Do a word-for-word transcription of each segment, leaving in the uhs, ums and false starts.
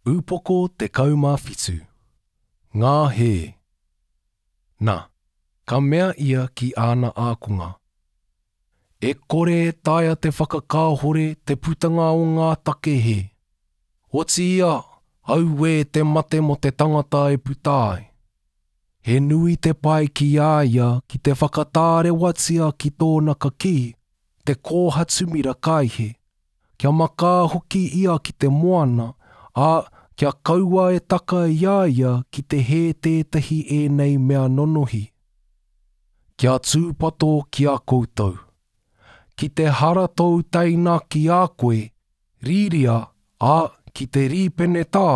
Upoko tekau mā whitu. Ngā hē. Nā, ka mea ia ki āna ākonga. E kore e taea te whakakāhore te putanga o ngā take hē. Otiia, auē te mate mō te tangata e puta ai. He nui te pai ki a ia ki te whakatārewatia ki tōna kakī, te kōhatu mira kaihe, kia makā hoki ia ki te moana, ā, kia kaua e taka i a ia ki te hē tētahi ēnei mea nonohi. Kia tūpato ki a koutou. Ki te hara tōu teina ki a koe, rīria, ā, ki te rīpenetā,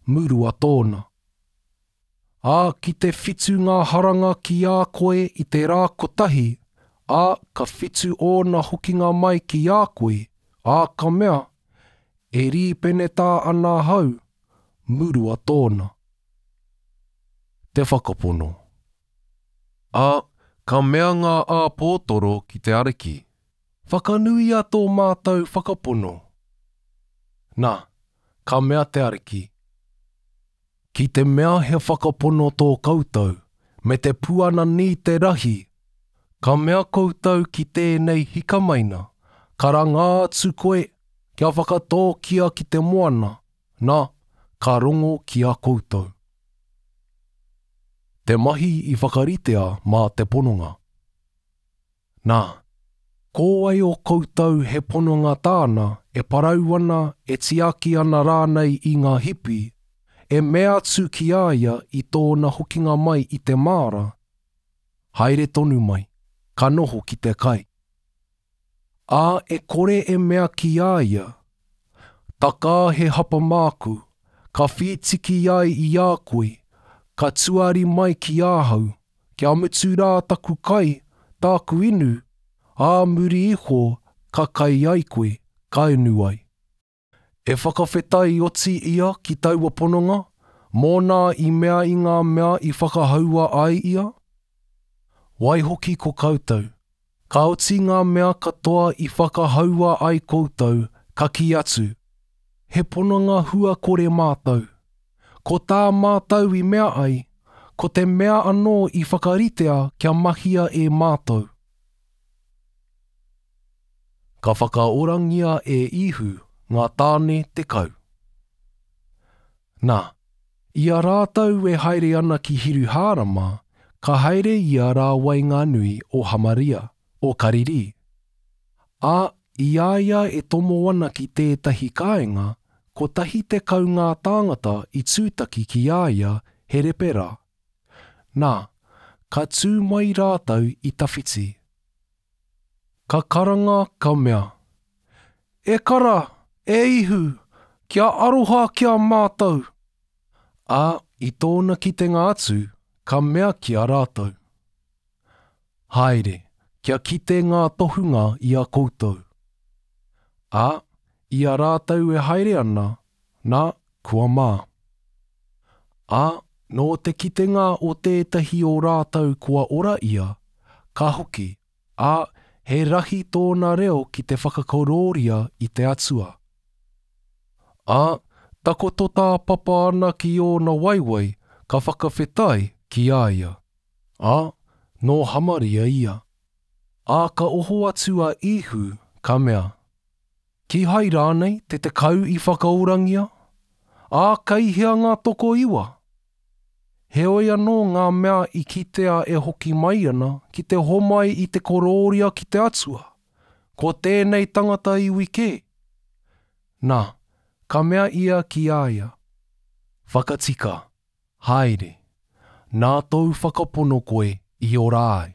murua tōna. Ā, ki te whitu ngā haranga ki a koe i te rā kotahi, ā, ka whitu ōna hokinga mai ki a koe, ā, ka mea, e rīpenetā ana ahau, murua tōna. Te whakapono. Ā, ka mea ngā āpōtoro ki te Ariki, Whakanuia tō mātou whakapono. Nā, ka mea te Ariki, Ki te mea he whakapono tō koutou, me te puana nī te rahi, ka mea koutou ki tēnei hikamaina, karanga atu koe kia whakatōkia ki te moana, nā, ka rongo ki a koutou. Te mahi i whakaritea mā te pononga. Nā, ko wai o koutou he pononga tāna e parau ana, e tiaki ana rānei i ngā hipi, e mea atu ki a ia i tōna hokinga mai i te māra, haere tonu mai, ka noho ki te kai. Ā, e kore e mea ki a ia, takā he hapa māku, ka whītiki ai i a koe, ka tuari mai ki ahau, kia mutu rā taku kai, tāku inu, ā muri iho ka kai ai koe, ka inu ai. E whakawhetai oti ia ki taua pononga, mōna i mea i ngā mea i whakahaua ai ia? Waihoki ko koutou, ka oti ngā mea katoa i whakahaua ai koutou, ka kī atu, he pononga hua kore mātou. Ko tā mātou i mea ai, ko te mea anō i whakaritea kia mahia e mātou. Ka whakaorangia e Ihu ngā tāne tekau. Nā, i a rātou e haere ana ki Hiruhārama, ka haere ia rā waenganui o Hamaria, o Karirī. Ā, i a ia e tomo ana ki tētahi kāinga, kotahi tekau ngā tāngata i tūtaki ki a ia he repera. Nā, ka tū mai rātou i tawhiti. Ka karanga ka mea, E kara, e Ihu, kia aroha ki a mātou. Ā, i tōna kitenga atu, ka mea ki a rātou. Haere, kia kite ngā tohunga i a koutou. Ā, i a rātou e haere ana, nā, kua mā. Ā, nō te kitenga o tētahi o rātou kua ora ia, ka hoki, ā, he rahi tōna reo ki te whakakorōria i te Atua. Ā, takoto tāpapa ana ki ōna waewae, ka whakawhetai ki a ia. Ā, nō Hamaria ia. Ā, ka oho atu a Ihu, ka mea, Kīhai rānei te tekau i whakaorangia? Ā, kei hea ngā tokoiwa? Heoi anō ngā mea i kitea e hoki mai ana ki te homai i te korōria ki te Atua, ko tēnei tangata iwi kē. Nā, ka mea ia ki a ia, Whakatika, haere, nā tōu whakapono koe i ora ai.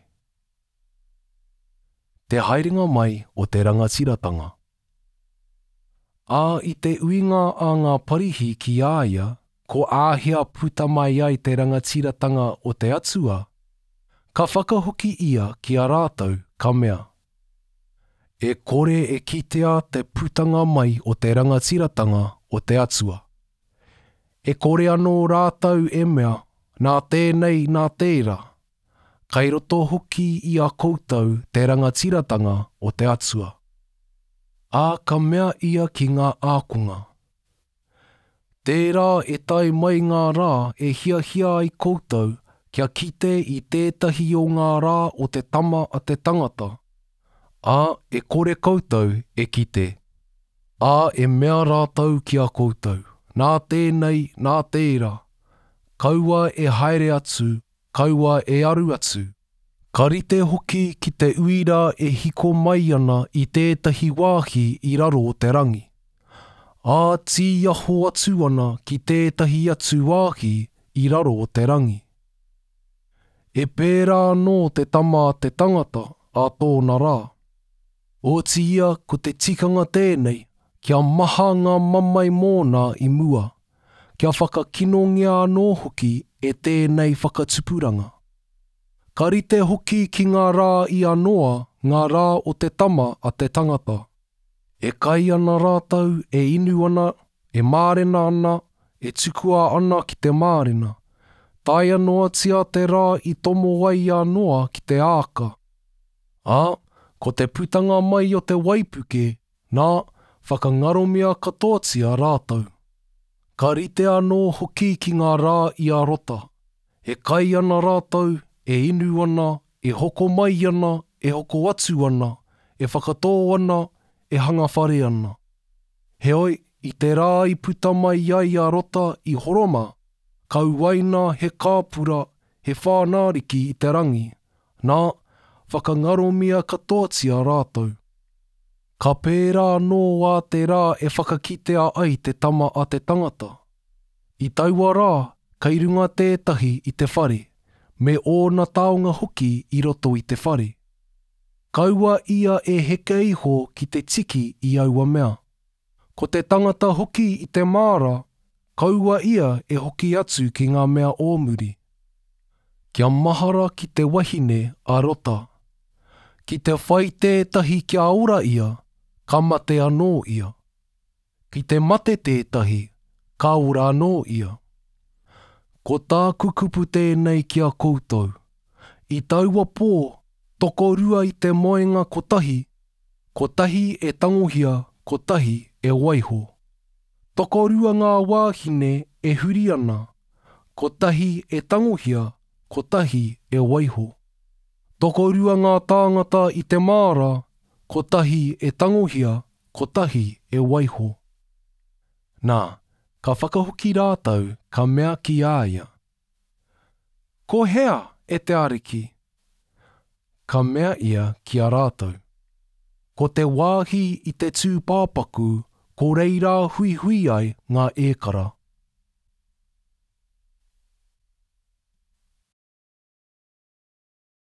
Te haerenga mai o te rangatiratanga. Ā, i te uinga a ngā Parihi ki a ia, ko āhea puta mai ai te rangatiratanga o te Atua, ka whakahoki ia ki a rātou, ka mea, E kore e kitea te putanga mai o te rangatiratanga o te Atua. E kore anō rātou e mea, nā tēnei, nā tērā. Kai roto hoki i a koutou te rangatiratanga o te Atua. Ā, ka mea ia ki ngā ākonga, Tērā e tae mai ngā rā e hiahia ai koutou kia kite i tētahi o ngā rā o te tama a te tangata, ā, e kore koutou e kite. Ā, e mea rātou ki a koutou, nā tēnei, nā tērā, kaua e haere atu, kaua e aru atu. Ka rite hoki ki te uira e hiko mai ana i tētahi wāhi i raro o te rangi. Ā, tīaho atu ana ki tētahi atu wāhi i raro o te rangi. E pērā anō te tama a te tangata a tōna rā. Otiia ko te tikanga tēnei, kia maha ngā mamae mōna i mua, kia whakakinongia anō hoki e tēnei whakatupuranga. Ka rite hoki ki ngā rā i a Noa ngā rā o te tama a te tangata. E kai ana rātou, e inu ana, e mārena ana, e tukua ana ki te mārena. Taea noatia te rā i tomo ai a Noa ki te āka. Ā, ko te putanga mai o te waipuke, nā, whakangaromia katoatia rātou. Ka rite anō hoki ki ngā rā i a Rota. E kai ana rātou, e inu ana, e hoko mai ana, e hoko atu ana, e whakatō ana, e hanga whare ana. Heoi, i te rā i puta mai ai a Rota i Horoma, ka uaina he kāpura, he whānāriki i te rangi, nā, whakangaromia katoatia rātou. Ka pērā anō ā te rā e whakakitea ai te tama a te tangata. I taua rā, kei runga tētahi i te whare, me ōna taonga hoki i roto i te whare. Kaua ia e heke iho ki te tiki i aua mea. Ko te tangata hoki i te māra, kaua ia e hoki atu ki ngā mea o muri. Kia mahara ki te wahine a Rota. Ki te whai tētahi kia ora ia, ka mate anō ia. Ki te mate tētahi, ka ora anō ia. Ko tāku kupu tēnei ki a koutou. I taua pō, tokorua i te moenga kotahi, kotahi e tangohia, kotahi e waiho. Tokorua ngā wāhine e huri ana, kotahi e tangohia, kotahi e waiho. Tokorua ngā tāngata i te māra, kotahi e tangohia, kotahi e waiho. Nā, ka whakahoki rātou, ka mea ki a ia. Ko hea e te Ariki? Ka mea ia ki a rātou. Ko te wāhi i te tūpāpaku, ko reira huihui ai ngā ēkara.